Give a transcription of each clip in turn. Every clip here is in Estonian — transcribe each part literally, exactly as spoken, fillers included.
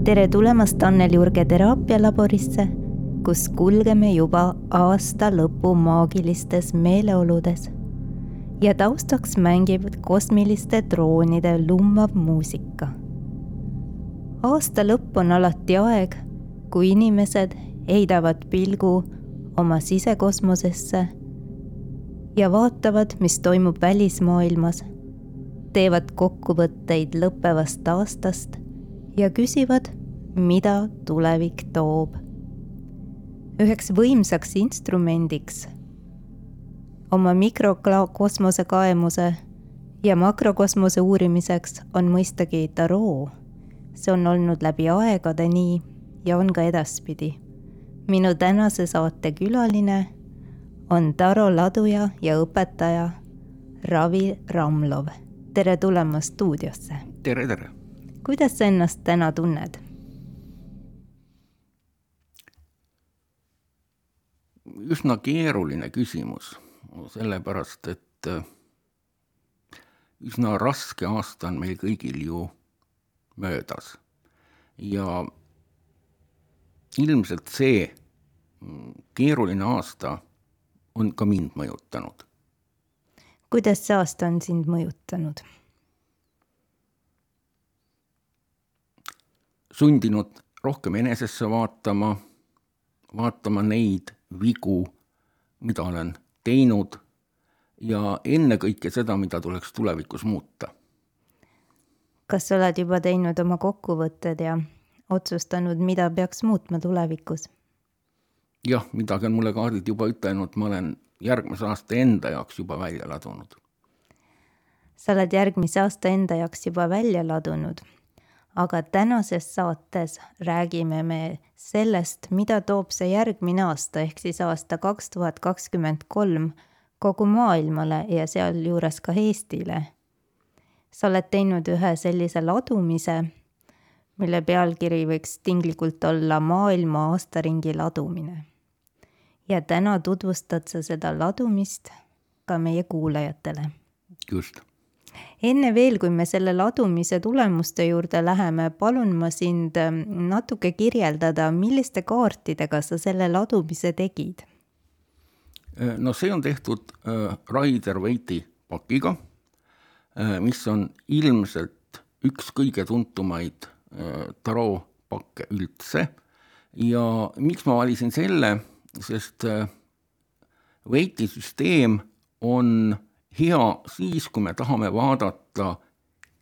tere tulemast Annel-Jurge teraapialaborisse, kus kulgeme juba aasta lõpu maagilistes meeleoludes ja taustaks mängib kosmiliste droonide lummav muusika. Aasta lõpp on alati aeg, kui inimesed heidavad pilgu oma sisekosmosesse ja vaatavad, mis toimub välismaailmas, teevad kokkuvõtteid lõppevast aastast ja küsivad, mida tulevik toob. Üheks võimsaks instrumendiks oma mikrokosmose kaemuse ja makrokosmose uurimiseks on mõistagi taroo. See on olnud läbi aegade nii ja on ka edaspidi. Minu tänase saate külaline on tarot laduja ja õpetaja Ravi Ramlov. Tere tulemast stuudiosse. Tere, tere. Kuidas sa ennast täna tunned? Üsna keeruline küsimus, sellepärast, et üsna raske aasta on meil kõigil ju möödas. Ja ilmselt see keeruline aasta on ka mind mõjutanud. Kuidas see aasta on sind mõjutanud? Sundinud rohkem enesesse vaatama, vaatama neid vigu, mida olen teinud ja enne kõike seda, mida tuleks tulevikus muuta. Kas sa oled juba teinud oma kokkuvõtted ja otsustanud, mida peaks muutma tulevikus? Jah, midagi on mulle kaardid juba ütelnud, ma olen järgmise aasta enda jaoks juba välja ladunud. Sa oled järgmise aasta enda jaoks juba välja ladunud, aga tänases saates räägime me sellest, mida toob see järgmine aasta, ehk siis aasta kaks tuhat kakskümmend kolm kogu maailmale ja seal juures ka Eestile. Sa oled teinud ühe sellise ladumise, mille pealkiri võiks tinglikult olla maailma aastaringi ladumine. Ja täna tutvustad sa seda ladumist ka meie kuulajatele. Just. Enne veel, kui me selle ladumise tulemuste juurde läheme, palun ma sind natuke kirjeldada, milliste kaartidega sa selle ladumise tegid? No see on tehtud Rider-Waite pakiga, mis on ilmselt üks kõige tuntumaid tarot pakke üldse. Ja miks ma valisin selle, sest Waite süsteem on hea siis, kui me tahame vaadata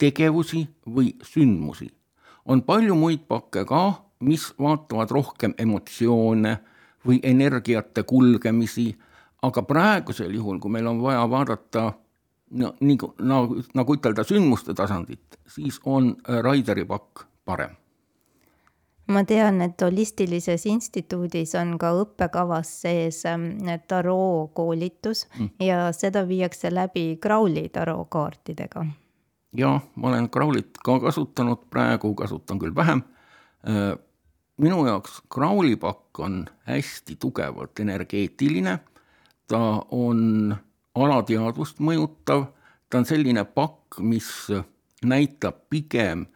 tegevusi või sündmusi. On palju muid pakke ka, mis vaatavad rohkem emotsioone või energiate kulgemisi, aga praegusel juhul, kui meil on vaja vaadata no, nagu, nagu, nagu ütelda sündmuste tasandit, siis on Rideri pakk parem. Ma tean, et Holistilises instituudis on ka õppekavas sees tarot koolitus mm. ja seda viiakse läbi Crowley tarot kaartidega. Ja, ma olen Crowleyt ka kasutanud, praegu kasutan küll vähem. Minu jaoks Crowley pakk on hästi tugevalt energeetiline, ta on alateadvust mõjutav, ta on selline pakk, mis näitab pigem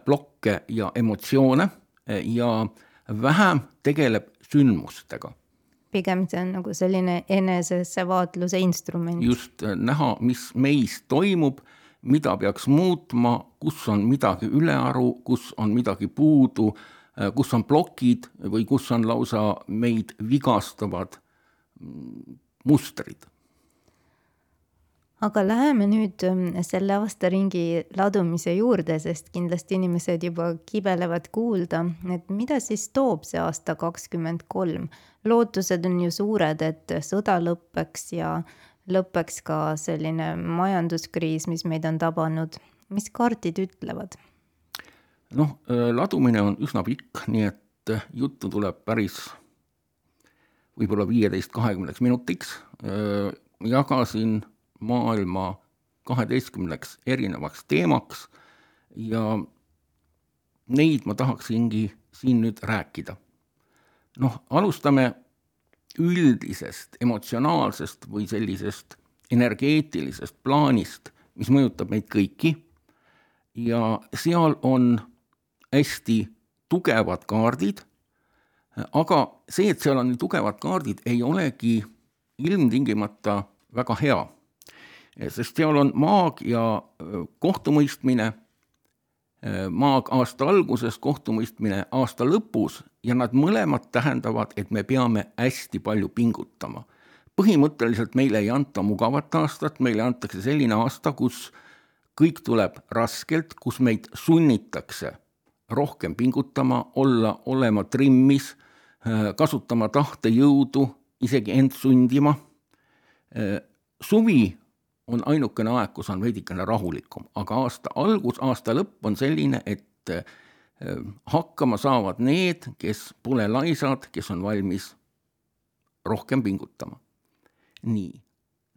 blokke ja emotsioone, ja vähem tegeleb sündmustega. Pigem see on nagu selline enesesse vaatluse instrument. Just näha, mis meis toimub, mida peaks muutma, kus on midagi ülearu, kus on midagi puudu, kus on blokid või kus on lausa meid vigastavad mustrid. Aga läheme nüüd selle aastaringi ladumise juurde, sest kindlasti inimesed juba kibelevad kuulda, et mida siis toob see aasta kakskümmend kolm. Lootused on ju suured, et sõda lõppeks ja lõppeks ka selline majanduskriis, mis meid on tabanud. Mis kaardid ütlevad? Noh, ladumine on üsna pikk, nii et juttu tuleb päris võib-olla viieteist kahekümneks minutiks. Jagasin maailma kaheteistkümneks erinevaks teemaks ja neid ma tahaksingi siin nüüd rääkida. Noh, alustame üldisest, emotsionaalsest või sellisest energeetilisest plaanist, mis mõjutab meid kõiki ja seal on hästi tugevad kaardid, aga see, et seal on nii tugevad kaardid, ei olegi ilmtingimata väga hea, sest seal on maag ja kohtumõistmine, maag aasta alguses, kohtumõistmine aasta lõpus ja nad mõlemad tähendavad, et me peame hästi palju pingutama. Põhimõtteliselt meile ei anta mugavat aastat, meile antakse selline aasta, kus kõik tuleb raskelt, kus meid sunnitakse rohkem pingutama, olla, olema trimmis, kasutama tahtejõudu, isegi end sundima. Suvi on ainukene aeg, kus on veidikene rahulikum, aga aasta algus, aasta lõpp on selline, et hakkama saavad need, kes pole laisad, kes on valmis rohkem pingutama. Nii,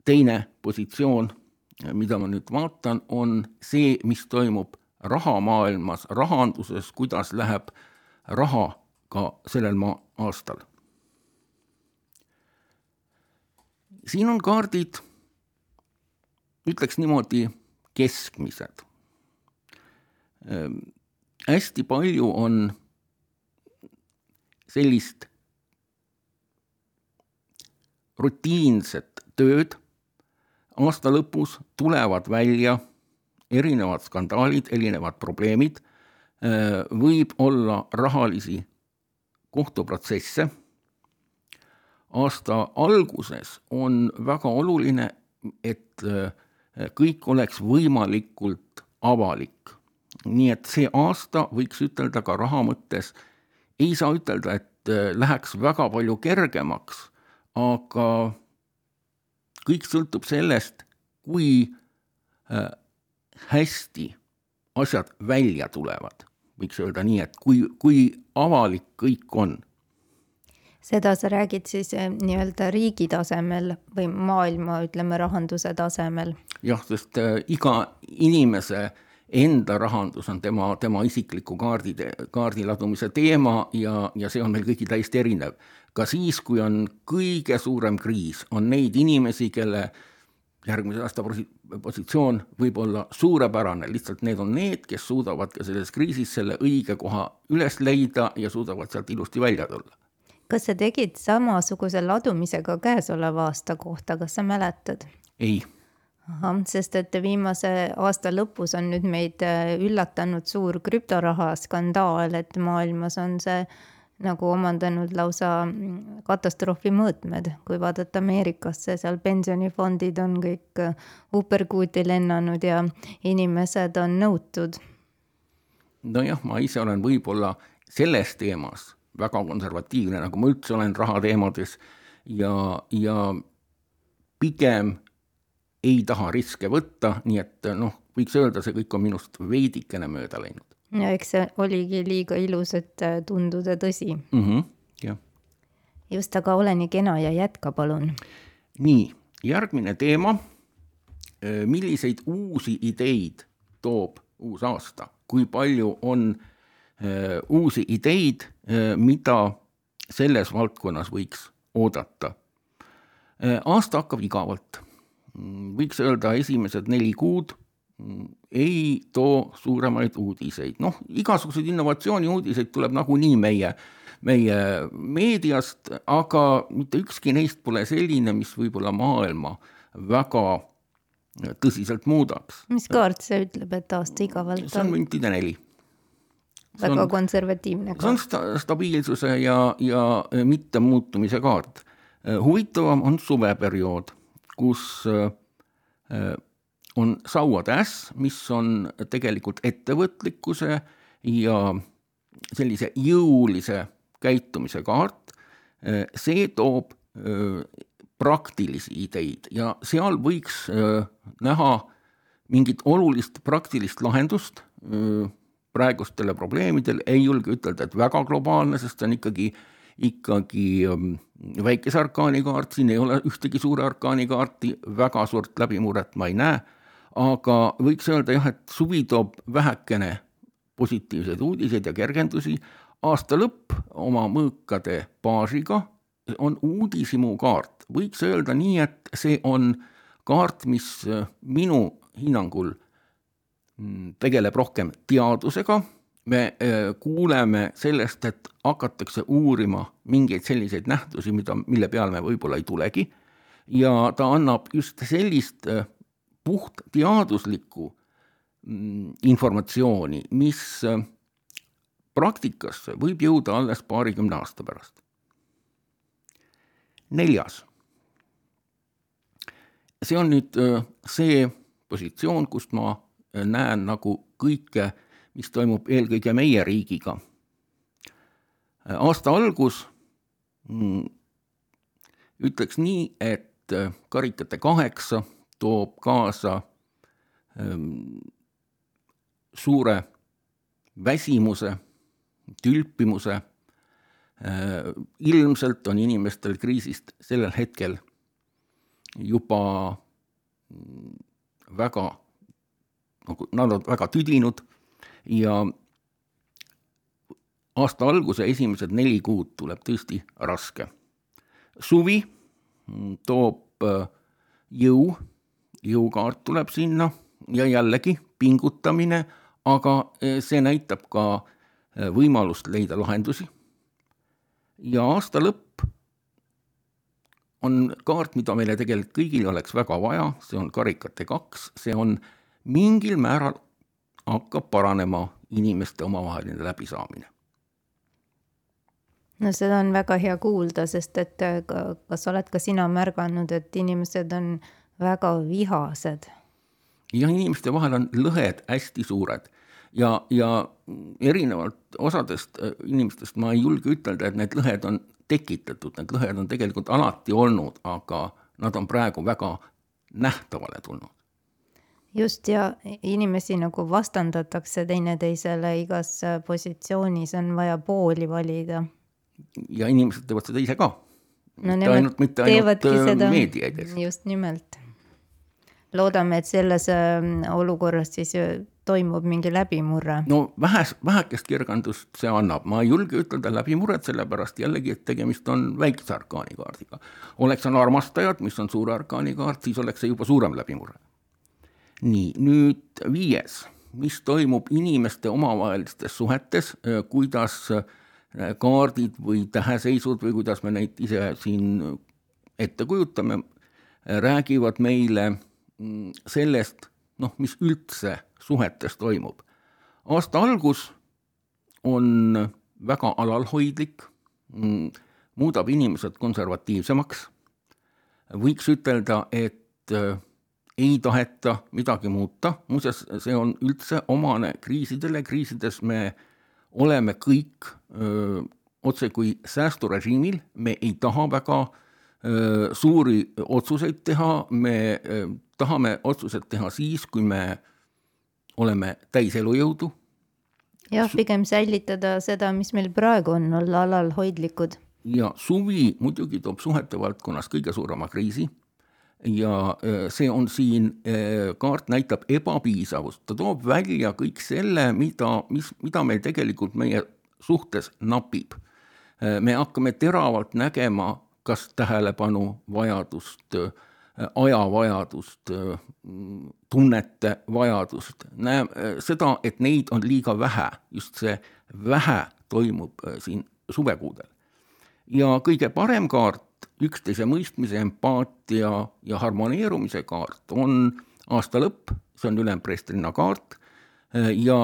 teine positsioon, mida ma nüüd vaatan, on see, mis toimub rahamaailmas, rahanduses, kuidas läheb raha ka sellel maa aastal. Siin on kaardid, ütleks niimoodi, keskmised. Hästi palju on sellist rutiinset tööd, aasta lõpus tulevad välja erinevad skandaalid, erinevad probleemid, võib olla rahalisi kohtuprotsesse. Aasta alguses on väga oluline, et kõik oleks võimalikult avalik. Nii et see aasta võiks ütelda ka raha mõttes, ei saa ütelda, et läheks väga palju kergemaks, aga kõik sõltub sellest, kui hästi asjad välja tulevad. Võiks öelda nii, et kui, kui avalik kõik on. Seda sa räägid siis nii-öelda riigi tasemel või maailma, ütleme, rahanduse tasemel? Jah, sest iga inimese enda rahandus on tema, tema isikliku kaardi, kaardiladumise teema ja, ja see on meil kõigi täiesti erinev. Ka siis, kui on kõige suurem kriis, on neid inimesi, kelle järgmise aasta positsioon võib olla suurepärane, lihtsalt need on need, kes suudavad ka selles kriisis selle õige koha üles leida ja suudavad sealt ilusti välja tulla. Kas sa tegid samasuguse ladumisega käesoleva aasta kohta, kas sa mäletad? Ei. Aha, sest et viimase aasta lõpus on nüüd meid üllatanud suur krüptoraha skandaal, et maailmas on see nagu omandanud lausa katastroofi mõõtmed, kui vaadata Ameerikasse, seal pensionifondid on kõik uperkuuti lennanud ja inimesed on nõutud. Nojah, ma ise olen võib-olla selles teemas väga konservatiivne, nagu ma üldse olen rahateemades ja, ja pigem ei taha riske võtta, nii et noh, võiks öelda, see kõik on minust veidikene mööda läinud. Ja eks see oligi liiga ilus, et tunduda tõsi. Mm-hmm, jah. Just, aga ole nii kena ja jätka, palun. Nii, järgmine teema. Milliseid uusi ideid toob uus aasta? Kui palju on uusi ideid, mida selles valdkonnas võiks oodata? Aasta hakkab igavalt. Võiks öelda esimesed neli kuud ei too suuremaid uudiseid. Noh, igasuguseid innovatsiooni uudiseid tuleb nagunii meie, meie meediast, aga mitte ükski neist pole selline, mis võib-olla maailma väga tõsiselt muudaks. Mis kaart see ütleb, et aasta igavalt on? See on müntide neli. Väga on, konservatiivne kaart. See on sta- stabiilsuse ja, ja mitte muutumise kaart. Huvitavam on suveperiood, kus on sauade äss, mis on tegelikult ettevõtlikkuse ja sellise jõulise käitumise kaart. See toob praktilisi ideid ja seal võiks näha mingit olulist praktilist lahendust praegustele probleemidele. Ei julge ütelda, et väga globaalne, sest on ikkagi, ikkagi väikese arkaani kaart, siin ei ole ühtegi suure arkaani kaarti, väga suurt läbimuret ma ei näe. Aga võiks öelda jah, et suvi toob vähekene positiivseid uudiseid ja kergendusi. Aasta lõpp oma mõõkade baasiga on uudisimu kaart. Võiks öelda nii, et see on kaart, mis minu hinnangul tegeleb rohkem teadusega, me kuuleme sellest, et hakatakse uurima mingeid selliseid nähtusi, mida, mille peale me võib-olla ei tulegi, ja ta annab just sellist puht teaduslikku informatsiooni, mis praktikasse võib jõuda alles paarikümne aasta pärast. Neljas. See on nüüd see positsioon, kust ma näen nagu kõike, mis toimub eelkõige meie riigiga. Aasta algus ütleks nii, et karikate kaheksa toob kaasa suure väsimuse, tülpimuse. Ilmselt on inimestel kriisist sellel hetkel juba väga, nad on väga tüdinud ja aasta alguse esimesed neli kuud tuleb tõesti raske. Suvi toob jõu, jõukaart tuleb sinna ja jällegi pingutamine, aga see näitab ka võimalust leida lahendusi. Ja aasta lõpp on kaart, mida meile tegelikult kõigil oleks väga vaja, see on karikate kaks, see on mingil määral hakkab paranema inimeste omavaheline läbisaamine. No seda on väga hea kuulda, sest et kas oled ka sina märganud, et inimesed on väga vihased? Ja inimeste vahel on lõhed hästi suured ja, ja erinevalt osadest inimestest ma ei julge ütelda, et need lõhed on tekitatud, need lõhed on tegelikult alati olnud, aga nad on praegu väga nähtavale tulnud. Just, ja inimesi nagu vastandatakse teineteisele igas positsioonis, on vaja pooli valida. Ja inimesed teevad seda ise ka. No mitte ainult, mitte ainult meediaides. Just nimelt. Loodame, et selles olukorras siis toimub mingi läbimurre. No vähes, vähekest kirgandust see annab. Ma ei julge ütelda läbimurret, sellepärast jällegi, et tegemist on väikse arkaanikaardiga. Oleks on armastajad, mis on suure arkaanikaart, siis oleks see juba suurem läbimurre. Nii, nüüd viies, mis toimub inimeste omavahelistes suhetes, kuidas kaardid või täheseisud või kuidas me neid ise siin ette kujutame, räägivad meile sellest, noh, mis üldse suhetes toimub. Aasta algus on väga alalhoidlik, muudab inimesed konservatiivsemaks. Võiks ütelda, et ei taheta midagi muuta. Muuseas, see on üldse omane kriisidele. Kriisides me oleme kõik öö, otse kui säästurežiimil. Me ei taha väga öö, suuri otsuseid teha. Me öö, tahame otsused teha siis, kui me oleme täis elujõudu. Jah, pigem säilitada seda, mis meil praegu on, olla alalhoidlikud. Ja suvi muidugi toob suhete valdkonnas kõige suurema kriisi. Ja see on siin, kaart näitab ebapiisavust. Ta toob välja kõik selle, mida, mis, mida meil tegelikult meie suhtes napib. Me hakkame teravalt nägema, kas tähelepanu vajadust, ajavajadust, tunnete vajadust. Näeme seda, et neid on liiga vähe. Just see vähe toimub siin suvekuudel. Ja kõige parem kaart, üksteise mõistmise, empaatia ja harmoneerumise kaart on aasta lõpp, see on ülempreestrina kaart ja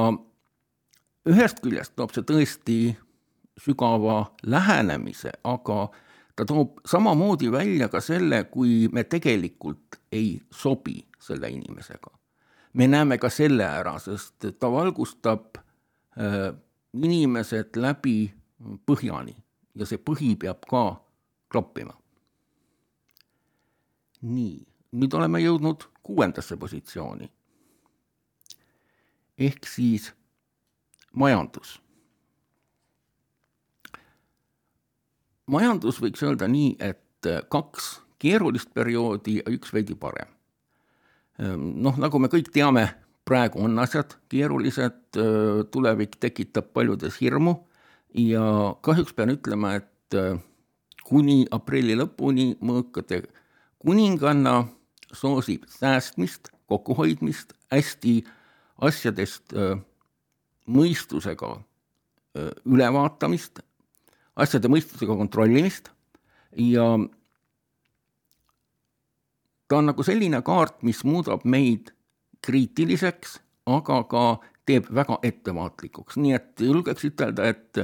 ühest küljest toob see tõesti sügava lähenemise, aga ta toob samamoodi välja ka selle, kui me tegelikult ei sobi selle inimesega. Me näeme ka selle ära, sest ta valgustab inimesed läbi põhjani ja see põhi peab ka kloppima. Nii, nüüd oleme jõudnud kuuendasse positsiooni. Ehk siis majandus. Majandus võiks öelda nii, et kaks keerulist perioodi ja üks veidi parem. Noh, nagu me kõik teame, praegu on asjad keerulised, tulevik tekitab paljudes hirmu ja kahjuks pean ütlema, et kuni aprilli lõpuni mõõkade kuninganna soosib säästmist, kokkuhoidmist, hästi asjadest mõistusega ülevaatamist, asjade mõistusega kontrollimist ja ta on nagu selline kaart, mis muudab meid kriitiliseks, aga ka teeb väga ettevaatlikuks. Nii et julgeks ütelda, et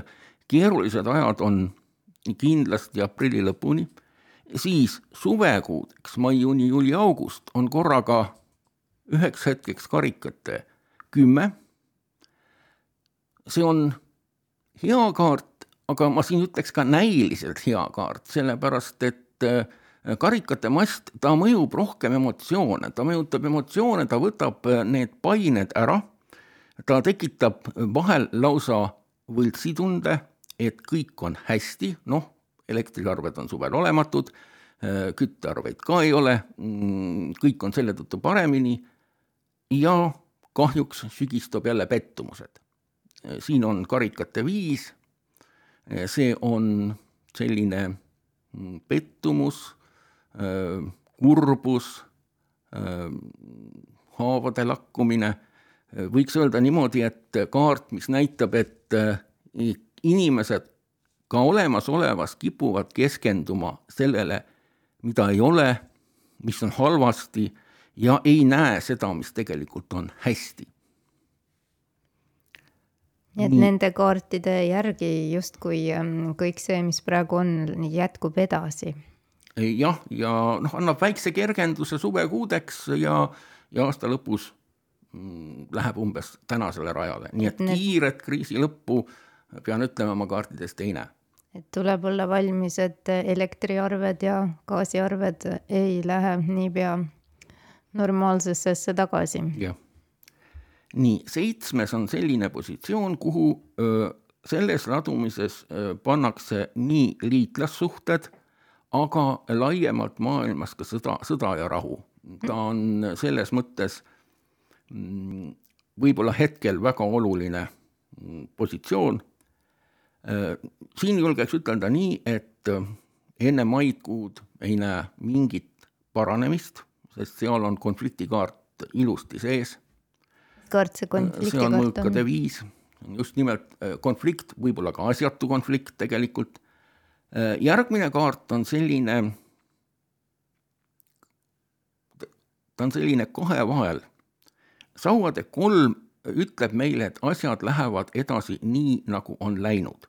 keerulised ajad on kindlasti aprilli lõpuni, siis suvekuudeks, mai, juuni, juuli, august on korraga üheks hetkeks karikate kümme. See on hea kaart, aga ma siin ütleks ka näiliselt hea kaart, sellepärast et karikate mast, ta mõjub rohkem emotsioone, ta mõjutab emotsioone, ta võtab need pained ära, ta tekitab vahel lausa võltsitunde, et kõik on hästi, noh, elektriarved on suvel olematud, küttearveid ka ei ole, kõik on selle tõttu paremini ja kahjuks sügistab jälle pettumused. Siin on karikate viis, see on selline pettumus, kurbus, haavade lakkumine. Võiks öelda niimoodi, et kaart, mis näitab, et inimesed ka olemasolevas kipuvad keskenduma sellele, mida ei ole, mis on halvasti ja ei näe seda, mis tegelikult on hästi. Nii et nende kaartide järgi justkui kõik see, mis praegu on, jätkub edasi. Jah, ja noh, annab väikse kergenduse suvekuudeks ja, ja aasta lõpus läheb umbes tänasele rajale. Nii et need... kiiret kriisi lõppu pean ütlema oma kaartidest ei näe. Et tuleb olla valmis, et elektriarved ja gaasiarved ei lähe niipea normaalsesse tagasi. Jah. Nii, seitsmes on selline positsioon, kuhu öö, selles ladumises öö, pannakse nii liitlassuhted, aga laiemalt maailmas ka sõda, sõda ja rahu. Ta on selles mõttes mm, võib-olla hetkel väga oluline mm, positsioon. Siin julgeks ütelda nii, et enne maikuud ei näe mingit paranemist, sest seal on konfliktikaart ilusti sees. Kaart see konfliktikaart on? See on mõõkade viis. Just nimelt konflikt, võib-olla ka asjatu konflikt tegelikult. Järgmine kaart on selline, ta on selline kahe vahel. Sauade kolm ütleb meile, et asjad lähevad edasi nii, nagu on läinud.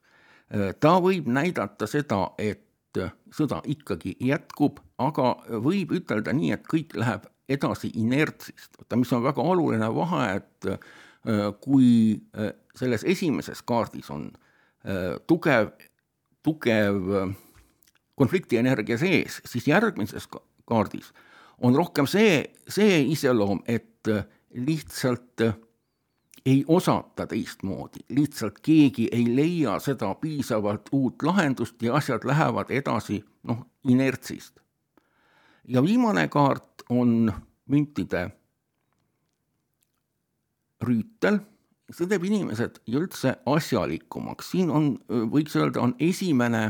Ta võib näidata seda, et sõda ikkagi jätkub, aga võib ütelda nii, et kõik läheb edasi inertsist. Mis on väga oluline vahe, et kui selles esimeses kaardis on tugev, tugev konfliktienergia sees, siis järgmises kaardis on rohkem see, see iseloom, et lihtsalt ei osata teistmoodi, lihtsalt keegi ei leia seda piisavalt uut lahendust ja asjad lähevad edasi noh, inertsist. Ja viimane kaart on müntide rüütel, see teeb inimesed üldse asjalikumaks. Siin on, võiks öelda, on esimene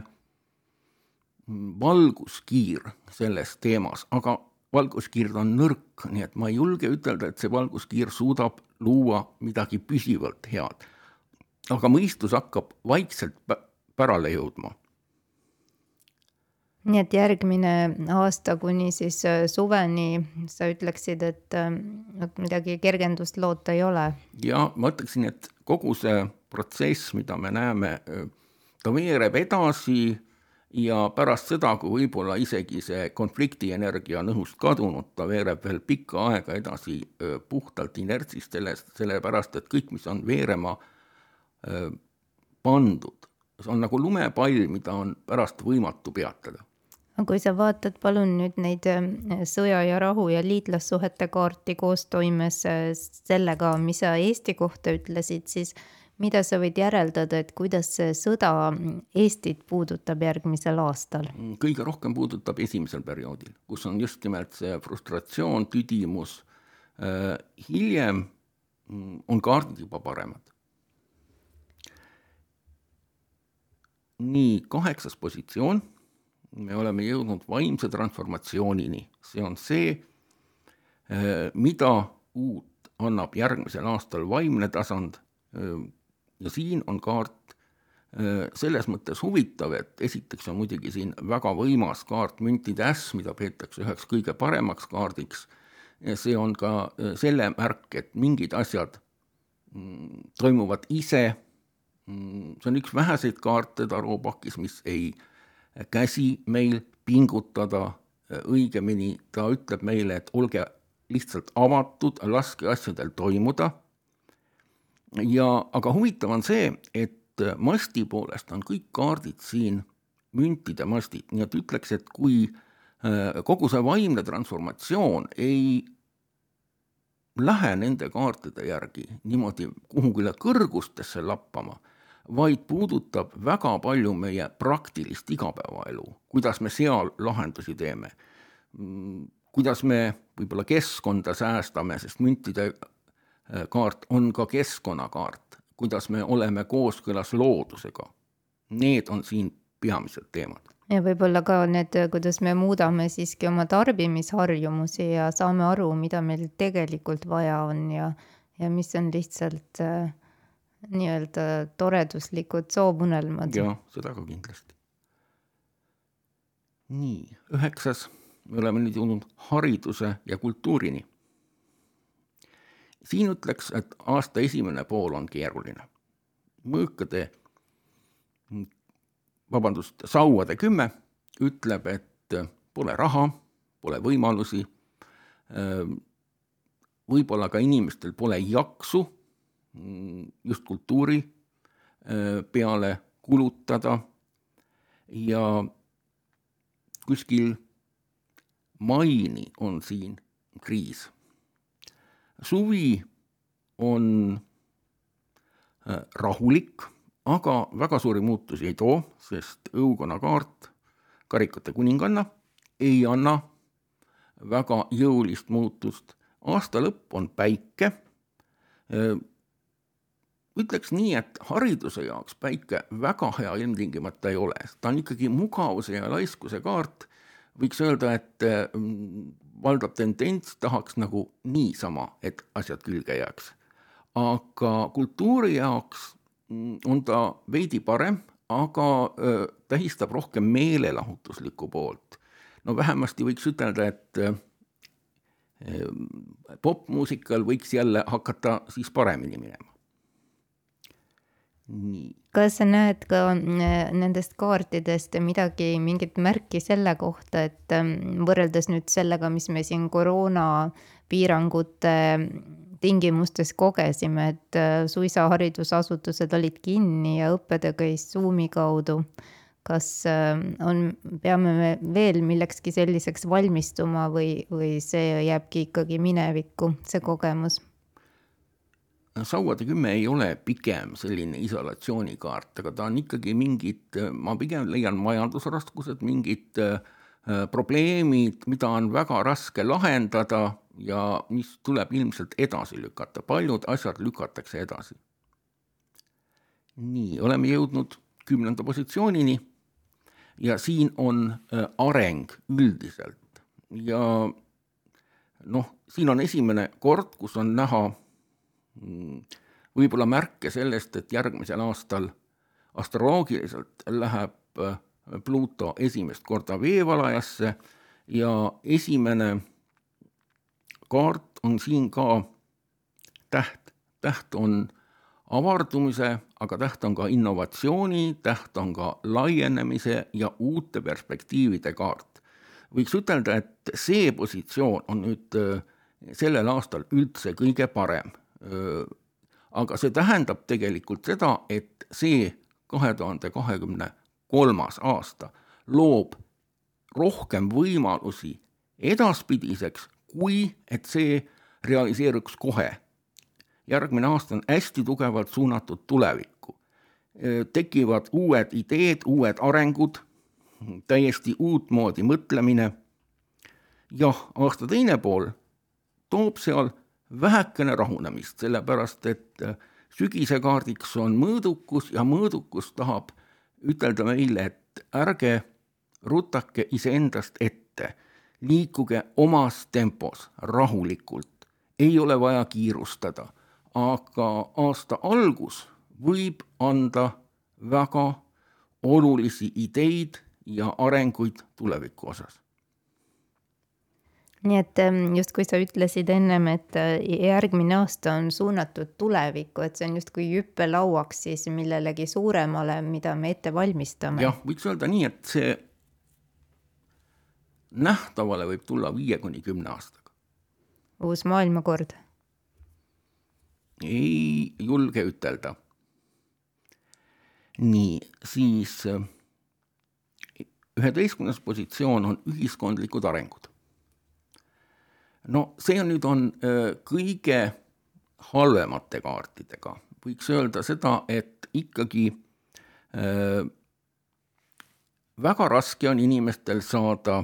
valguskiir selles teemas, aga valguskiir on nõrk, nii et ma ei julge ütelda, et see valguskiir suudab luua midagi püsivalt head. Aga mõistus hakkab vaikselt pärale jõudma. Nii et järgmine aasta kuni siis suveni sa ütleksid, et midagi kergendust loota ei ole? Ja ma ütleksin, et kogu see protsess, mida me näeme, ta veereb edasi ja pärast seda, kui võib-olla isegi see konfliktienergia on õhust kadunud, ta veereb veel pikka aega edasi puhtalt inertsist sellest, sellepärast, et kõik, mis on veerema pandud, see on nagu lumepall, mida on pärast võimatu peatada. Kui sa vaatad palun nüüd neid sõja ja rahu ja liitlassuhete kaarti koos toimes sellega, mis sa Eesti kohta ütlesid, siis mida sa võid järeldada, et kuidas see sõda Eestit puudutab järgmisel aastal? Kõige rohkem puudutab esimesel perioodil, kus on just nimelt see frustratsioon, tüdimus. Hiljem on kaardid juba paremad. Nii, kaheksas positsioon. Me oleme jõudnud vaimse transformatsioonini. See on see, mida uut annab järgmisel aastal vaimne tasand, ja siin on kaart selles mõttes huvitav, et esiteks on muidugi siin väga võimas kaart müntide äss, mida peetakse üheks kõige paremaks kaardiks. Ja see on ka selle märk, et mingid asjad toimuvad ise. See on üks väheseid kaarte taroopakis, mis ei käsi meil pingutada, õigemini ta ütleb meile, et olge lihtsalt avatud, laske asjadel toimuda. Ja, aga huvitav on see, et masti poolest on kõik kaardid siin müntide mastid, nii et ütleks, et kui kogu see vaimne transformatsioon ei lähe nende kaartide järgi niimoodi kuhugile kõrgustesse lappama, vaid puudutab väga palju meie praktilist igapäevaelu, kuidas me seal lahendusi teeme, kuidas me võib-olla keskkonda säästame, sest müntide kaart on ka keskkonnakaart, kuidas me oleme kooskõlas loodusega. Need on siin peamised teemad. Ja võib-olla ka need, kuidas me muudame siiski oma tarbimisharjumusi ja saame aru, mida meil tegelikult vaja on ja, ja mis on lihtsalt äh, nii-öelda toreduslikud soovunelmad. Ja, seda ka kindlasti. Nii, üheksas, me oleme nüüd jõudnud hariduse ja kultuurini. Siin ütleks, et aasta esimene pool on keeruline. Mõõkade, vabandust, sauade kümme ütleb, et pole raha, pole võimalusi, võib-olla ka inimestel pole jaksu just kultuuri peale kulutada ja kuskil maini on siin kriis. Suvi on rahulik, aga väga suuri muutusi ei too, sest õukonna kaart, karikate kuninganna, ei anna väga jõulist muutust. Aasta lõpp on päike. Ütleks nii, et hariduse jaoks päike väga hea ilmtingimata ei ole. Ta on ikkagi mugavuse ja laiskuse kaart. Võiks öelda, et valdav tendents tahaks nagu niisama, et asjad külge jääks. Aga kultuuri jaoks on ta veidi parem, aga tähistab rohkem meelelahutuslikku poolt. No vähemasti võiks ütelda, et popmuusikal võiks jälle hakata siis paremini minema. Nii. Kas sa näed ka nendest kaartidest midagi, mingit märki selle kohta, et võrreldes nüüd sellega, mis me siin koroona piirangute tingimustes kogesime, et suisa haridusasutused olid kinni ja õppede käis Zoomi kaudu. Kas on, peame me veel millekski selliseks valmistuma või, või see jääbki ikkagi minevikku, see kogemus? Sauade kümme ei ole pigem selline isolatsioonikaart, aga ta on ikkagi mingid, ma pigem leian majandusraskused, mingid probleemid, mida on väga raske lahendada ja mis tuleb ilmselt edasi lükata. Paljud asjad lükatakse edasi. Nii, oleme jõudnud kümnenda positsioonini ja siin on areng üldiselt. Ja noh, siin on esimene kord, kus on näha võib-olla märke sellest, et järgmisel aastal astroloogiliselt läheb Pluto esimest korda veevalajasse ja esimene kaart on siin ka täht. Täht on avardumise, aga täht on ka innovatsiooni, täht on ka laienemise ja uute perspektiivide kaart. Võiks ütelda, et see positsioon on nüüd sellel aastal üldse kõige parem. Aga see tähendab tegelikult seda, et see kahe tuhande kahekümne kolmas aasta loob rohkem võimalusi edaspidiseks, kui et see realiseeruks kohe. Järgmine aasta on hästi tugevalt suunatud tulevikku. Tekivad uued ideed, uued arengud, täiesti uut moodi mõtlemine. Jah, aasta teine pool toob seal vähekene rahunemist, sellepärast, et sügise kaardiks on mõõdukus ja mõõdukus tahab ütelda meile, et ärge rutake iseendast ette, liikuge omas tempos rahulikult, ei ole vaja kiirustada, aga aasta algus võib anda väga olulisi ideid ja arenguid tuleviku osas. Nii et just kui sa ütlesid ennem, et järgmine aasta on suunatud tulevikku, et see on just kui hüppelauaks siis millelegi suuremale, mida me ette valmistame. Jah, võiks öelda nii, et see nähtavale võib tulla viie kuni kümne aastaga. Uus maailmakord? Ei julge ütelda. Nii, siis üheteistkümnes positsioon on ühiskondlikud arengud. No see on nüüd on kõige halvemate kaartidega. Võiks öelda seda, et ikkagi äh, väga raske on inimestel saada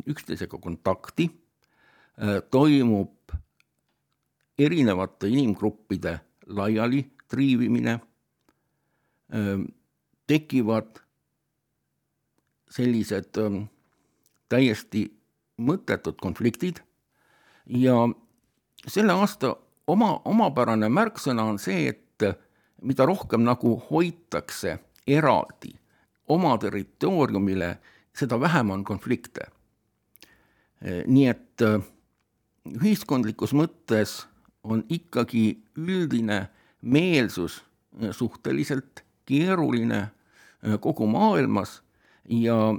üksteisega kontakti, äh, toimub erinevate inimgruppide laiali triivimine, äh, tekivad sellised äh, täiesti mõttetud konfliktid. Ja selle aasta oma, omapärane märksõna on see, et mida rohkem nagu hoitakse eraldi oma territooriumile, seda vähem on konflikte. Nii et ühiskondlikus mõttes on ikkagi üldine meelsus suhteliselt keeruline kogu maailmas ja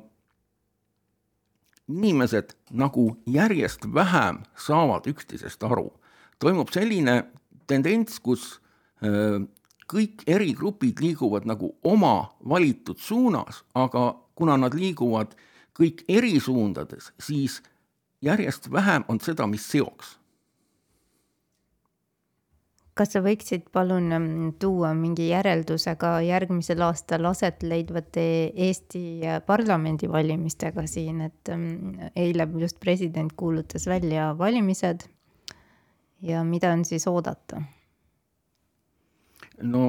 inimesed nagu järjest vähem saavad üksteisest aru. Toimub selline tendents, kus kõik eri grupid liiguvad nagu oma valitud suunas, aga kuna nad liiguvad kõik eri suundades, siis järjest vähem on seda, mis seoks. Kas sa võiksid palun tuua mingi järeldusega järgmisel aastal aset leidvate Eesti parlamendi valimistega siin, et eile just president kuulutas välja valimised ja mida on siis oodata? No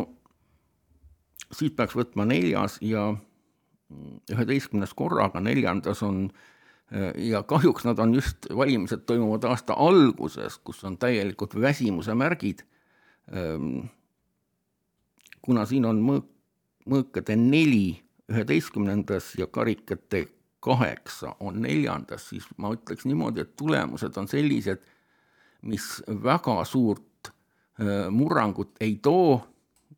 siit peaks võtma neljas ja üheteistkümnes korraga, neljandas on ja kahjuks nad on just valimised toimuvad aasta alguses, kus on täielikult väsimuse märgid. Kuna siin on mõõk, mõõkade neli üheteistkümnendas ja karikate kaheksa on neljandas, siis ma ütleks niimoodi, et tulemused on sellised, mis väga suurt murrangut ei too,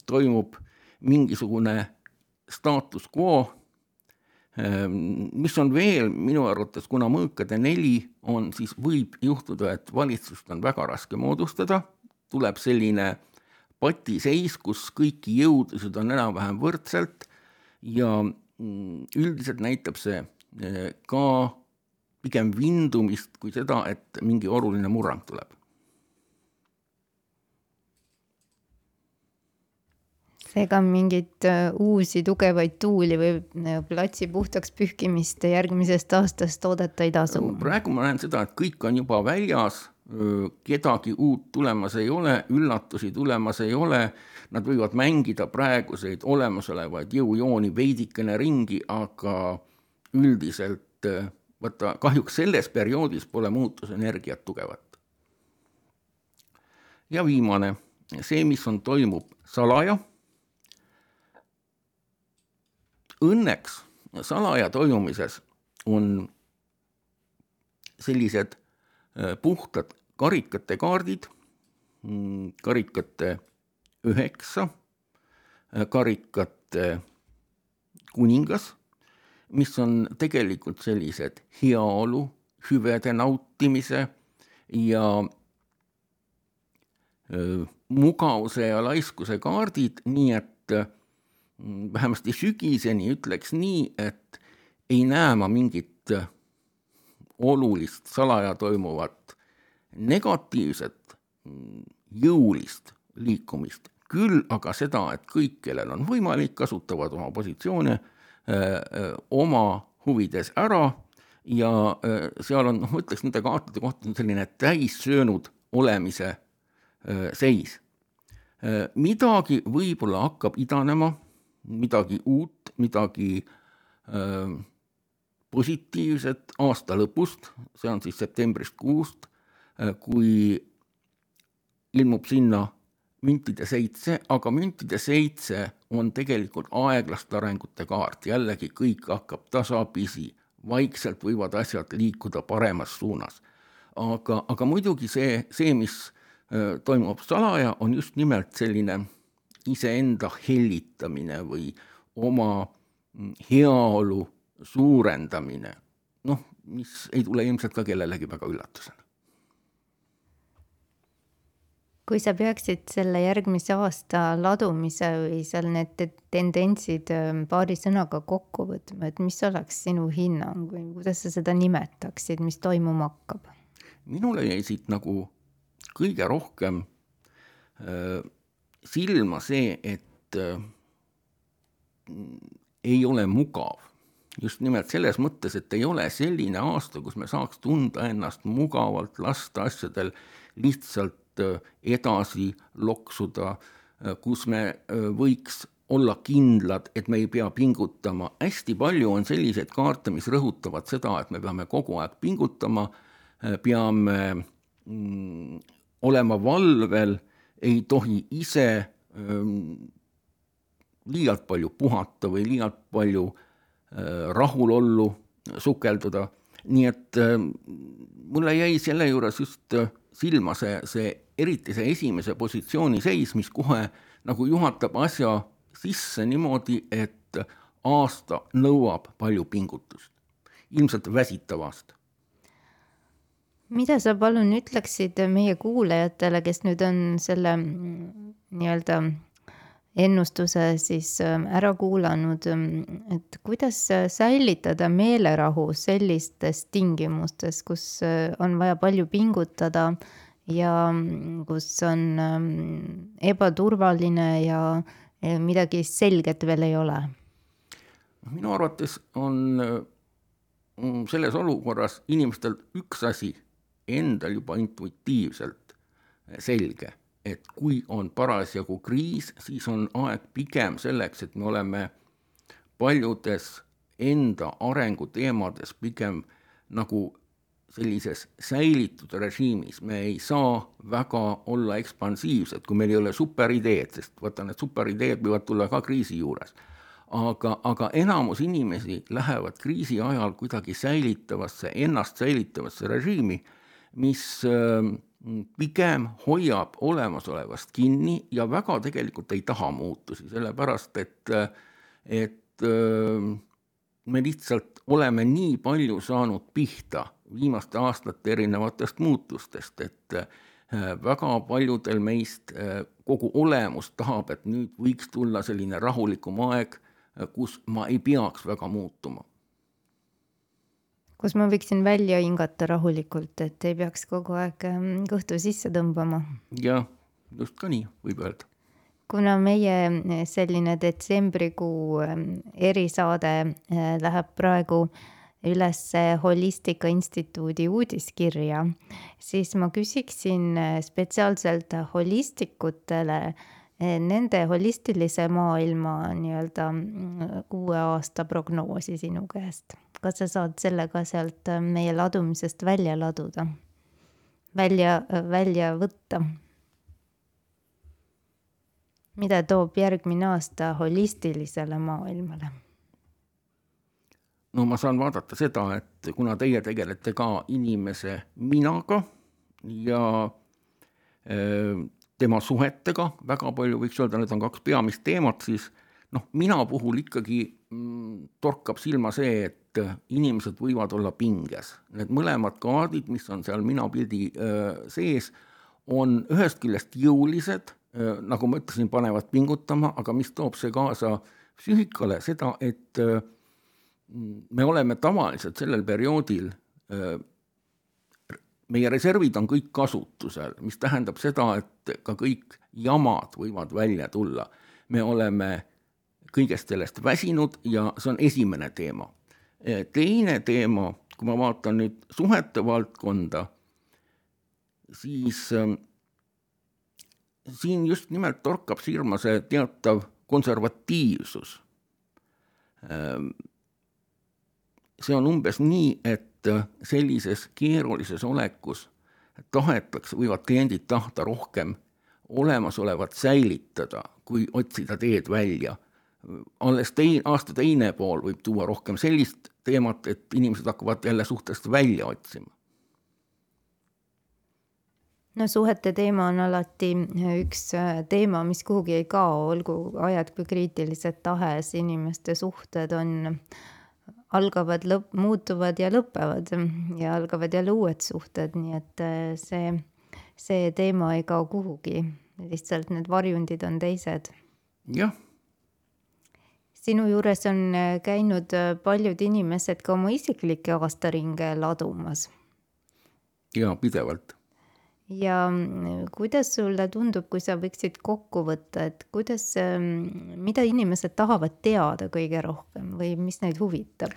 toimub mingisugune status quo, mis on veel minu arvates, kuna mõõkade neli on, siis võib juhtuda, et valitsust on väga raske moodustada, tuleb selline patiseis, kus kõiki jõudusid on enam-vähem võrdselt ja üldiselt näitab see ka pigem vindumist kui seda, et mingi oluline murrang tuleb. Seega mingit uusi tugevaid tuuli või platsi puhtaks pühkimist järgmisest aastast oodata ei tasu? Praegu ma näen seda, et kõik on juba väljas, kedagi uut tulemas ei ole, üllatusi tulemas ei ole, nad võivad mängida praeguseid olemasolevaid jõujooni veidikene ringi, aga üldiselt võtta, kahjuks selles perioodis pole muutusenergiat tugevat. Ja viimane, see, mis on toimub salaja. Õnneks salaja toimumises on sellised puhtad karikate kaardid, karikate üheksa, karikate kuningas, mis on tegelikult sellised heaolu, hüvede nautimise ja mugavuse ja laiskuse kaardid, nii et vähemasti sügiseni ütleks nii, et ei näe ma mingit olulist salaja toimuvat negatiivset jõulist liikumist. Küll aga seda, et kõik, kellel on võimalik, kasutavad oma positsioone öö, oma huvides ära ja öö, seal on, noh, ma ütleks, nende kaartide kohta on selline täissöönud olemise öö, seis. Öö, midagi võib-olla hakkab idanema, midagi uut, midagi öö, positiivset aasta lõpust, see on siis septembrist kuust, kui ilmub sinna müntide seitse, aga müntide seitse on tegelikult aeglaste arengute kaart, jällegi kõik hakkab tasapisi, vaikselt võivad asjad liikuda paremas suunas. Aga, aga muidugi see, see, mis toimub salaja, on just nimelt selline iseenda hellitamine või oma heaolu suurendamine, noh, mis ei tule ilmselt ka kellelegi väga üllatusena. Kui sa peaksid selle järgmise aasta ladumise või seal need tendentsid paari sõnaga kokku võtma, et mis oleks sinu hinnang või kuidas sa seda nimetaksid, mis toimuma hakkab? Minule jäi siit nagu kõige rohkem äh, silma see, et äh, ei ole mugav. Just nimelt selles mõttes, et ei ole selline aasta, kus me saaks tunda ennast mugavalt, lasta asjadel lihtsalt edasi loksuda, kus me võiks olla kindlad, et me ei pea pingutama. Hästi palju on selliseid kaarte, mis rõhutavad seda, et me peame kogu aeg pingutama, peame mm, olema valvel, ei tohi ise mm, liialt palju puhata või liialt palju äh, rahulollu sukelduda. Nii et äh, mulle jäi selle juures just silma see, see eriti see esimese positsiooni seis, mis kohe nagu juhatab asja sisse niimoodi, et aasta nõuab palju pingutust. Ilmselt väsitav aasta. Mida sa palun ütleksid meie kuulajatele, kes nüüd on selle nii-öelda ennustuse siis ära kuulanud, et kuidas säilitada meelerahu sellistes tingimustes, kus on vaja palju pingutada ja kus on ebaturvaline ja midagi selget veel ei ole? Minu arvates on selles olukorras inimestel üks asi endal juba intuitiivselt selge, et kui on parasjagu kriis, siis on aeg pigem selleks, et me oleme paljudes enda arenguteemades pigem nagu sellises säilitud režiimis. Me ei saa väga olla ekspansiivsed, kui meil ei ole superideed, sest vaata, need superideed võivad tulla ka kriisi juures. Aga, aga enamus inimesi lähevad kriisi ajal kuidagi säilitavasse, ennast säilitavasse režiimi, mis pigem hoiab olemasolevast kinni ja väga tegelikult ei taha muutusi, sellepärast et, et me lihtsalt oleme nii palju saanud pihta viimaste aastate erinevatest muutustest, et väga paljudel meist kogu olemus tahab, et nüüd võiks tulla selline rahulikum aeg, kus ma ei peaks väga muutuma. Kus ma võiksin välja hingata rahulikult, et ei peaks kogu aeg kõhtu sisse tõmbama. Ja, just ka nii võib öelda. Kuna meie selline detsembrikuu erisaade läheb praegu üles Holistika Instituudi uudiskirja, siis ma küsiksin spetsiaalselt holistikutele nende holistilise maailma nii-öelda uue aasta prognoosi sinu käest. Kas sa saad sellega sealt meie ladumisest välja laduda? Välja, välja võtta? Mida toob järgmine aasta holistilisele maailmale? No ma saan vaadata seda, et kuna teie tegelete ka inimese minaga ja tema suhetega, väga palju võiks öelda, need on kaks peamist teemat, siis noh, mina puhul ikkagi torkab silma see, et inimesed võivad olla pinges. Need mõlemad kaardid, mis on seal mina pildi sees, on ühest küljest jõulised, nagu ma ütlesin, panevad pingutama, aga mis toob see kaasa psüühikale seda, et me oleme tavaliselt sellel perioodil, meie reservid on kõik kasutusel, mis tähendab seda, et ka kõik jamad võivad välja tulla. Me oleme kõigest sellest väsinud ja see on esimene teema. Teine teema, kui ma vaatan nüüd suhete valdkonda, siis siin just nimelt torkab silma see teatav konservatiivsus. See on umbes nii, et sellises keerulises olekus tahetakse, võivad kliendid tahta rohkem olemasolevat säilitada, kui otsida teed välja. Alles tein, aasta teine pool võib tuua rohkem sellist teemat, et inimesed hakkavad jälle suhtest välja otsima. No suhete teema on alati üks teema, mis kuhugi ei kao, olgu ajad kui kriitilised tahes, inimeste suhted on, algavad, lõp, muutuvad ja lõpevad ja algavad jälle uued suhted, nii et see, see teema ei kao kuhugi, lihtsalt need varjundid on teised. Jah. Sinu juures on käinud paljud inimesed ka oma isiklikke aastaringe ladumas. Ja, pidevalt. Ja kuidas sulle tundub, kui sa võiksid kokku võtta, et kuidas, mida inimesed tahavad teada kõige rohkem või mis neid huvitab?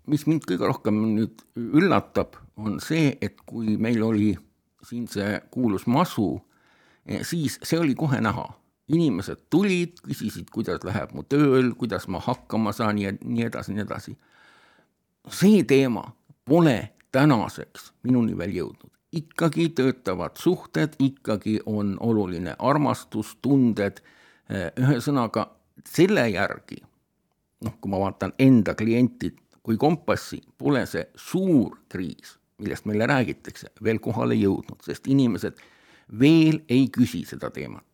Mis mind kõige rohkem nüüd üllatab, on see, et kui meil oli siin see kuulus masu, siis see oli kohe näha. Inimesed tulid, küsisid, kuidas läheb mu tööl, kuidas ma hakkama saan ja nii edasi, nii edasi. See teema pole tänaseks minuni veel jõudnud. Ikkagi töötavad suhted, ikkagi on oluline armastus, tunded, ühesõnaga selle järgi, noh, kui ma vaatan enda klientid kui kompassi, pole see suur kriis, millest meile räägitakse, veel kohale jõudnud, sest inimesed veel ei küsi seda teemat.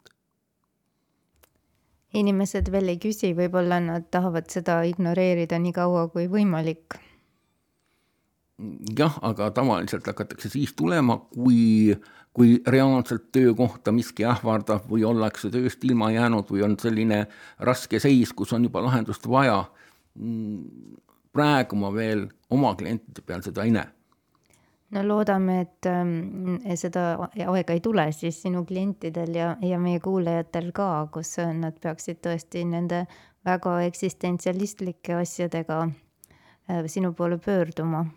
Inimesed veel ei küsi, võib-olla nad tahavad seda ignoreerida nii kaua kui võimalik. Jah, aga tavaliselt hakatakse siis tulema, kui, kui reaalselt töökohta miski ähvardab või ollakse tööst ilma jäänud või on selline raske seis, kus on juba lahendust vaja. Praegu ma veel oma klientide peal seda ei näe. No loodame, et seda aega ei tule siis sinu klientidel ja, ja meie kuulajatel ka, kus nad peaksid tõesti nende väga eksistentsialistlike asjadega sinu poole pöörduma.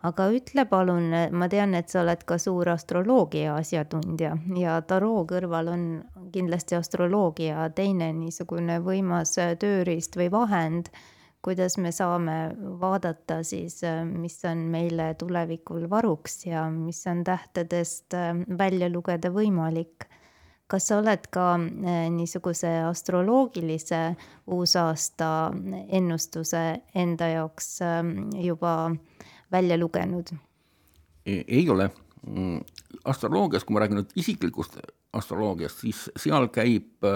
Aga ütle palun, ma tean, et sa oled ka suur astroloogia asjatundja ja taroo kõrval on kindlasti astroloogia teine niisugune võimas tööriist või vahend, kuidas me saame vaadata siis, mis on meile tulevikul varuks ja mis on tähtedest välja lugeda võimalik. Kas sa oled ka niisuguse astroloogilise uusaasta ennustuse enda jaoks juba välja lugenud? Ei ole. Astroloogias, kui ma räägin nüüd isiklikust astroloogiast, siis seal käib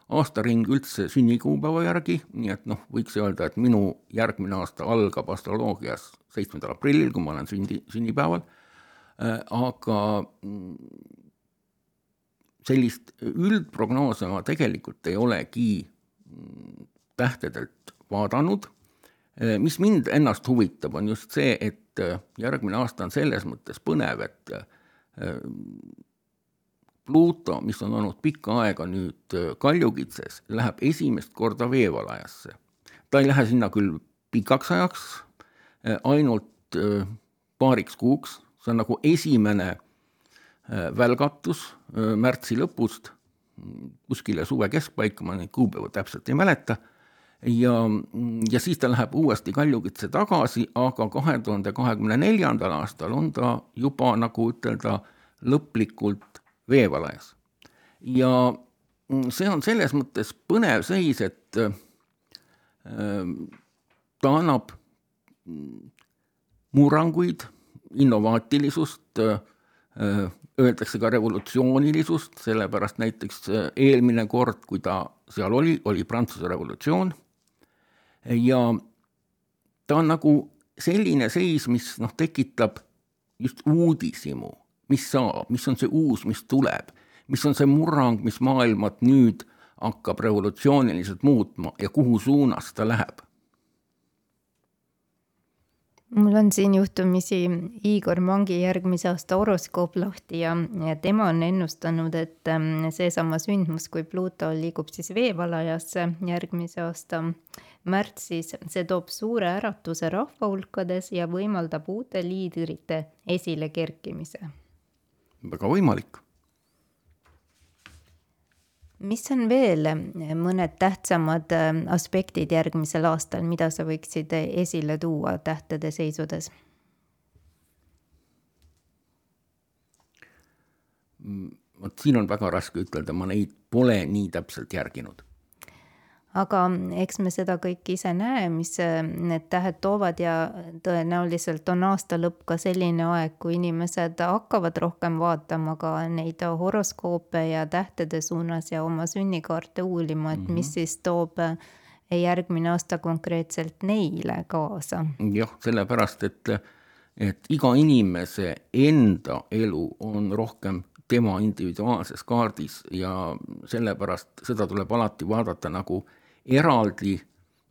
aastaring üldse sünnikuupäeva järgi, nii et noh, võiks öelda, et minu järgmine aasta algab astroloogias seitsmendal aprillil, kui ma olen sündi, sünnipäeval, aga sellist üldprognoose ma tegelikult ei olegi tähtedelt vaadanud. Mis mind ennast huvitab, on just see, et järgmine aasta on selles mõttes põnev, et Pluto, mis on olnud pikka aega nüüd Kaljukitses, läheb esimest korda veevalajasse. Ta ei lähe sinna küll pikaks ajaks, ainult paariks kuuks. See on nagu esimene välgatus märtsi lõpust, kuskile suve keskpaika, ma neid kuupäeva täpselt ei mäleta. Ja, ja siis ta läheb uuesti Kaljukitse tagasi, aga kahe tuhande kahekümne neljandal aastal on ta juba, nagu ütelda, lõplikult veevalajas. Ja see on selles mõttes põnev seis, et ta annab murranguid, innovaatilisust, öeldakse ka revolutsioonilisust, sellepärast näiteks eelmine kord, kui ta seal oli, oli Prantsuse revolutsioon. Ja ta on nagu selline seis, mis noh, tekitab just uudisimu, mis saab, mis on see uus, mis tuleb, mis on see murrang, mis maailmat nüüd hakkab revolutsiooniliselt muutma ja kuhu suunas ta läheb. Mul on siin juhtumisi Igor Mangi järgmise aasta horoskoop lahti ja, ja tema on ennustanud, et seesama sündmus, kui Pluto liigub siis veevalajasse järgmise aasta märtsis, see toob suure äratuse rahva hulkades ja võimaldab uute liidrite esile kerkimise. Väga võimalik. Mis on veel mõned tähtsamad aspektid järgmisel aastal, mida sa võiksid esile tuua tähtede seisudes? vot siin on väga raske ütelda, ma neid pole nii täpselt järginud. Aga eks me seda kõik ise näe, mis need tähed toovad ja tõenäoliselt on aasta lõpp ka selline aeg, kui inimesed hakkavad rohkem vaatama ka neid horoskoope ja tähtede suunas ja oma sünnikaarte uulima, et mis mm-hmm. siis toob järgmine aasta konkreetselt neile kaasa. Jah, sellepärast, et, et iga inimese enda elu on rohkem tema individuaalses kaardis ja sellepärast seda tuleb alati vaadata nagu eraldi,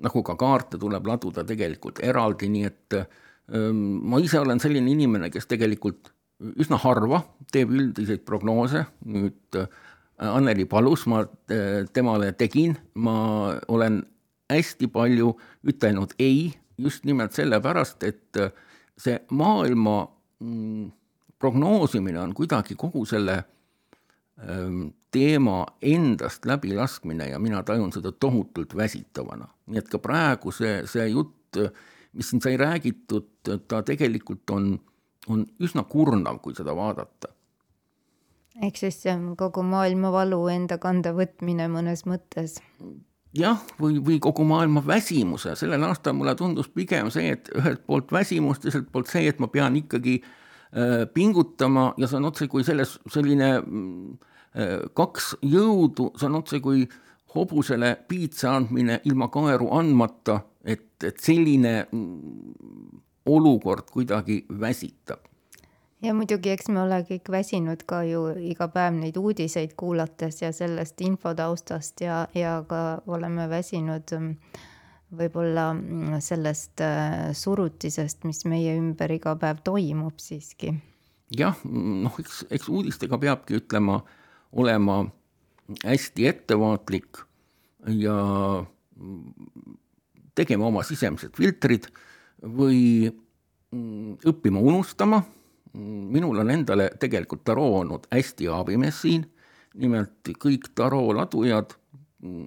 nagu ka kaarte tuleb laduda tegelikult eraldi, nii et ähm, ma ise olen selline inimene, kes tegelikult üsna harva teeb üldiseid prognoose, nüüd äh, Anneli palus, ma äh, temale tegin, ma olen hästi palju ütelnud ei, just nimelt sellepärast, et äh, see maailma mm, prognoosimine on kuidagi kogu selle ähm, teema endast läbilaskmine ja mina tajun seda tohutult väsitavana. Nii et ka praegu see, see jutt, mis siin sai räägitud, ta tegelikult on, on üsna kurnav, kui seda vaadata. Ehk siis kogu maailma valu enda kanda võtmine mõnes mõttes. Jah, või, või kogu maailma väsimuse. Sellel aastal mulle tundus pigem see, et ühelt poolt väsimust, teiselt poolt see, et ma pean ikkagi äh, pingutama ja see on otse kui selles selline kaks jõudu, see on otse kui hobusele piitsa andmine ilma kaeru andmata, et, et selline olukord kuidagi väsitab. Ja muidugi, eks me ole kõik väsinud ka ju iga päev neid uudiseid kuulates ja sellest infotaustast ja, ja ka oleme väsinud võib-olla sellest surutisest, mis meie ümber iga päev toimub siiski. Jah, noh, eks, eks uudistega peabki ütlema olema hästi ettevaatlik ja tegema oma sisemised filtrid või õppima unustama. Minul on endale tegelikult taroo olnud hästi abimees siin, nimelt kõik taroo ladujad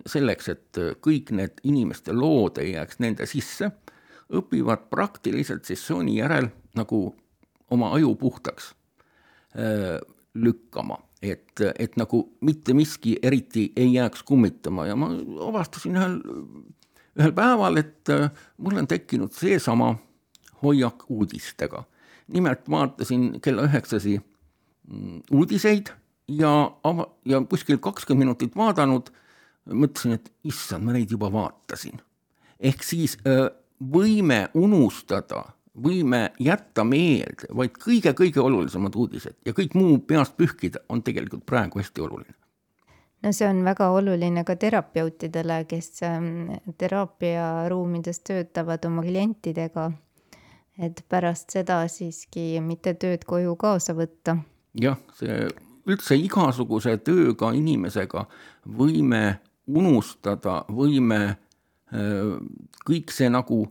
selleks, et kõik need inimeste lood ei jääks nende sisse, õpivad praktiliselt sessiooni järel nagu oma aju puhtaks lükkama. Et, et nagu mitte miski eriti ei jääks kummitama ja ma avastasin ühel, ühel päeval, et mul on tekkinud seesama hoiak uudistega. Nimelt vaatasin kella üheksasi uudiseid ja, ava, ja kuskil kakskümmend minutit vaadanud, mõtlesin, et issand, ma neid juba vaatasin. Ehk siis võime unustada, võime jätta meelde, vaid kõige-kõige olulisemad uudised ja kõik muu peast pühkida on tegelikult praegu hästi oluline. No see on väga oluline ka terapeutidele, kes teraapiaruumides töötavad oma klientidega, et pärast seda siiski mitte tööd koju kaasa võtta. Jah, see üldse igasuguse tööga inimesega võime unustada, võime kõik see nagu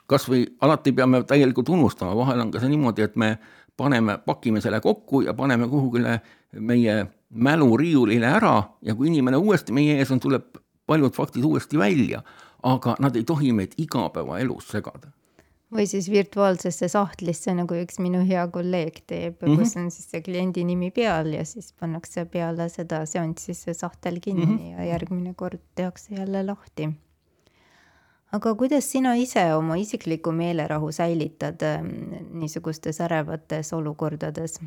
kas või alati peame täielikult unustama, vahel on ka see niimoodi, et me paneme, pakime selle kokku ja paneme kuhugile meie mäluriiulile ära ja kui inimene uuesti meie ees on, tuleb paljud faktid uuesti välja, aga nad ei tohi meid igapäeva elus segada. Või siis virtuaalsesse sahtlisse, nagu üks minu hea kolleeg teeb, mm-hmm. kus on siis see kliendi nimi peal ja siis pannakse peale seda seanssi see sahtel kinni mm-hmm. ja järgmine kord tehakse jälle lahti. Aga kuidas sina ise oma isikliku meelerahu säilitad niisugustes ärevates olukordades?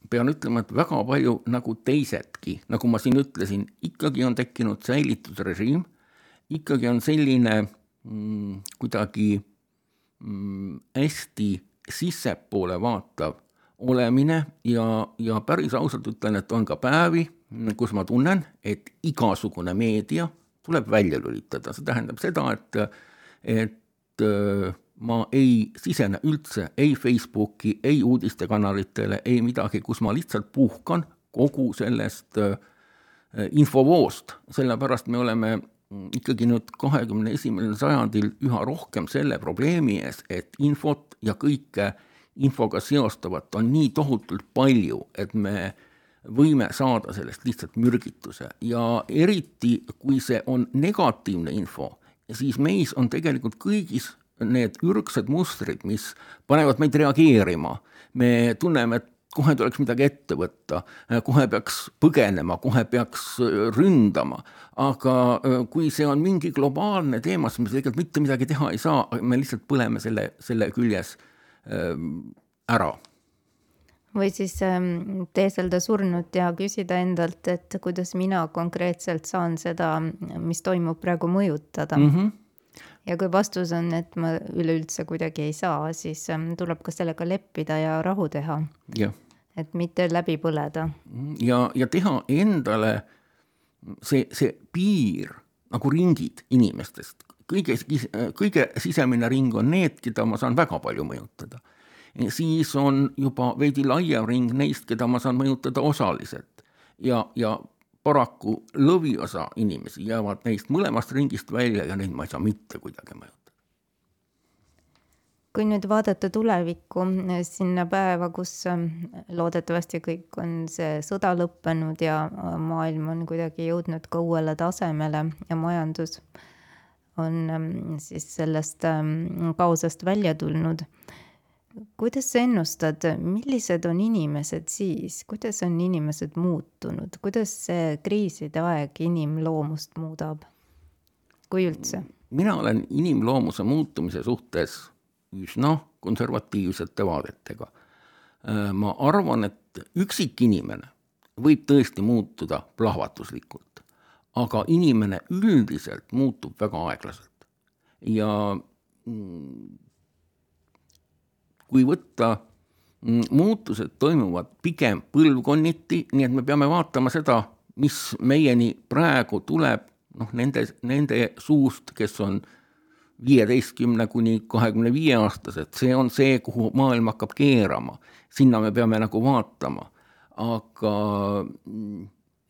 Pean ütlema, et väga palju nagu teisedki, nagu ma siin ütlesin, ikkagi on tekkinud säilitusrežiim, ikkagi on selline mm, kuidagi mm, hästi sissepoole vaatav olemine ja, ja päris ausalt ütlen, et on ka päevi, kus ma tunnen, et igasugune meedia tuleb välja lülitada. See tähendab seda, et, et ma ei sisene üldse ei Facebooki, ei uudistekanalitele, ei midagi, kus ma lihtsalt puhkan kogu sellest infovoost. Sellepärast me oleme ikkagi nüüd kahekümne esimesel sajandil üha rohkem selle probleemi ees, et infot ja kõike infoga seostavat on nii tohutult palju, et me võime saada sellest lihtsalt mürgituse ja eriti, kui see on negatiivne info, siis meis on tegelikult kõigis need ürgsed mustrid, mis panevad meid reageerima. Me tunneme, et kohe tuleks midagi ette võtta, kohe peaks põgenema, kohe peaks ründama, aga kui see on mingi globaalne teema, siis me tegelikult mitte midagi teha ei saa, me lihtsalt põleme selle, selle küljes ära. Või siis teeselda surnut ja küsida endalt, et kuidas mina konkreetselt saan seda, mis toimub praegu mõjutada. Mm-hmm. Ja kui vastus on, et ma üleüldse kuidagi ei saa, siis tuleb ka sellega leppida ja rahu teha. Ja. Et mitte läbi põleda. Ja, ja teha endale see, see piir, nagu ringid inimestest. Kõige, kõige sisemine ring on need, keda ma saan väga palju mõjutada. Siis on juba veidi laiem ring neist, keda ma saan mõjutada osaliselt. Ja, ja paraku lõviosa inimesi jäävad neist mõlemast ringist välja ja neid ma ei saa mitte kuidagi mõjutada. Kui nüüd vaadata tulevikku sinna päeva, kus loodetavasti kõik on see sõda lõppenud ja maailm on kuidagi jõudnud ka uuele tasemele ja majandus on siis sellest kaosest välja tulnud. Kuidas sa ennustad, millised on inimesed siis, kuidas on inimesed muutunud, kuidas see kriiside aeg inimloomust muudab, kui üldse? Mina olen inimloomuse muutumise suhtes üsna konservatiivsete vaadetega. Ma arvan, et üksik inimene võib tõesti muutuda plahvatuslikult, aga inimene üldiselt muutub väga aeglaselt. Ja kui võtta, muutused toimuvad pigem põlvkonniti, nii et me peame vaatama seda, mis meieni praegu tuleb noh, nende, nende suust, kes on viieteistkümne kuni kahekümne viie aastased. See on see, kuhu maailm hakkab keerama. Sinna me peame nagu vaatama. Aga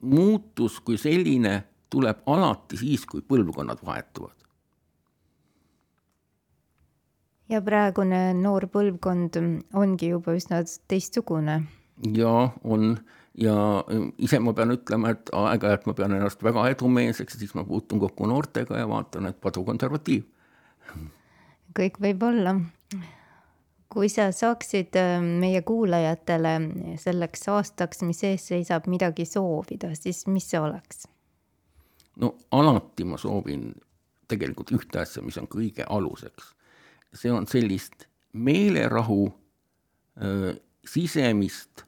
muutus kui selline tuleb alati siis, kui põlvkonnad vahetuvad. Ja praegune noor põlvkond ongi juba üsna teistsugune. Ja on, ja ise ma pean ütlema, et aega, et ma pean ennast väga edumeelseks, siis ma puutun kokku noortega ja vaatan, et padu konservatiiv. Kõik võib olla. Kui sa saaksid meie kuulajatele selleks aastaks, mis ees seisab, midagi soovida, siis mis see oleks? No alati ma soovin tegelikult ühte asja, mis on kõige aluseks. See on sellist meelerahu äh, sisemist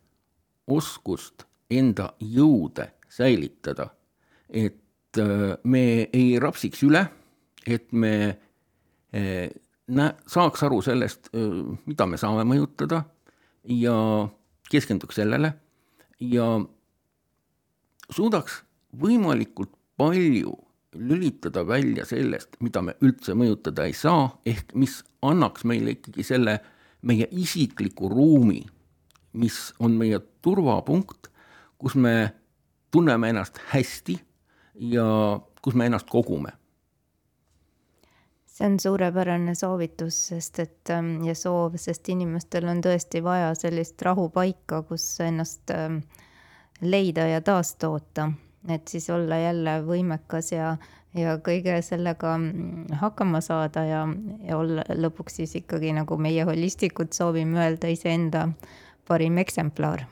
oskust enda jõude säilitada, et äh, me ei rapsiks üle, et me äh, nä- saaks aru sellest, äh, mida me saame mõjutada ja keskenduks sellele ja suudaks võimalikult palju lülitada välja sellest, mida me üldse mõjutada ei saa, ehk mis annaks meile ikkagi selle meie isikliku ruumi, mis on meie turvapunkt, kus me tunneme ennast hästi ja kus me ennast kogume. See on suurepärane soovitus, sest et, ja soov, sest inimestel on tõesti vaja sellist rahupaika, kus ennast leida ja taastoota. Et siis olla jälle võimekas ja, ja kõige sellega hakkama saada ja, ja olla lõpuks siis ikkagi nagu meie holistikud soovime öelda iseenda parim eksemplar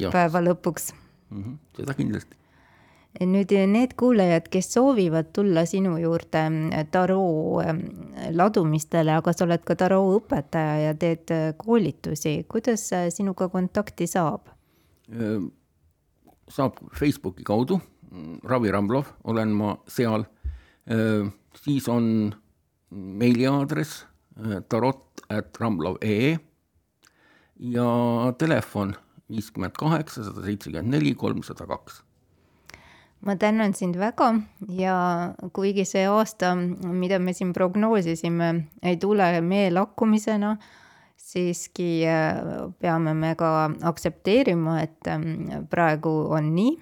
ja. Päeva lõpuks. Mm-hmm. Seda kindlasti. Nüüd need kuulajad, kes soovivad tulla sinu juurde taroo ladumistele, aga sa oled ka taroo õpetaja ja teed koolitusi, kuidas sinuga kontakti saab? Saab Facebooki kaudu, Ravi Ramblov, olen ma seal, siis on meiliaadres tarot at ramblov punkt ee ja telefon viiskümmend kaheksa sada seitsekümmend neli kolmsada kaks. Ma tänan sind väga ja kuigi see aasta, mida me siin prognoosisime, ei tule mee lakkumisena, siiski peame me ka aktsepteerima, et praegu on nii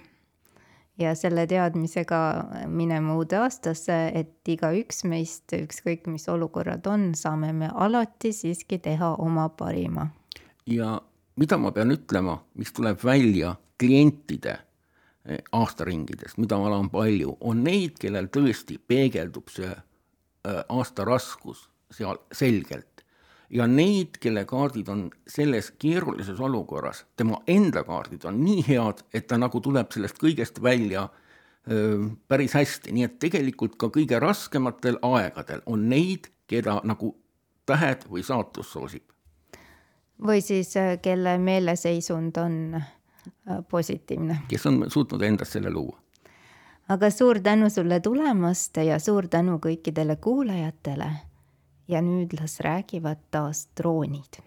ja selle teadmisega minema uude aastasse, et iga üks meist, ükskõik mis olukorrad on, saame me alati siiski teha oma parima. Ja mida ma pean ütlema, mis tuleb välja klientide aastaringidest, mida ma olen palju, on neid, kellel tõesti peegeldub see aasta raskus seal selgelt. ja neid, kelle kaardid on selles keerulises olukorras, tema enda kaardid on nii head, et ta nagu tuleb sellest kõigest välja öö, päris hästi, nii et tegelikult ka kõige raskematel aegadel on neid, keda nagu tähed või saatus soosib. Või siis kelle meeleseisund on positiivne. Kes on suutnud endast selle luua. Aga suur tänu sulle tulemast ja suur tänu kõikidele kuulajatele. Ja nüüd las räägivad taas droonid.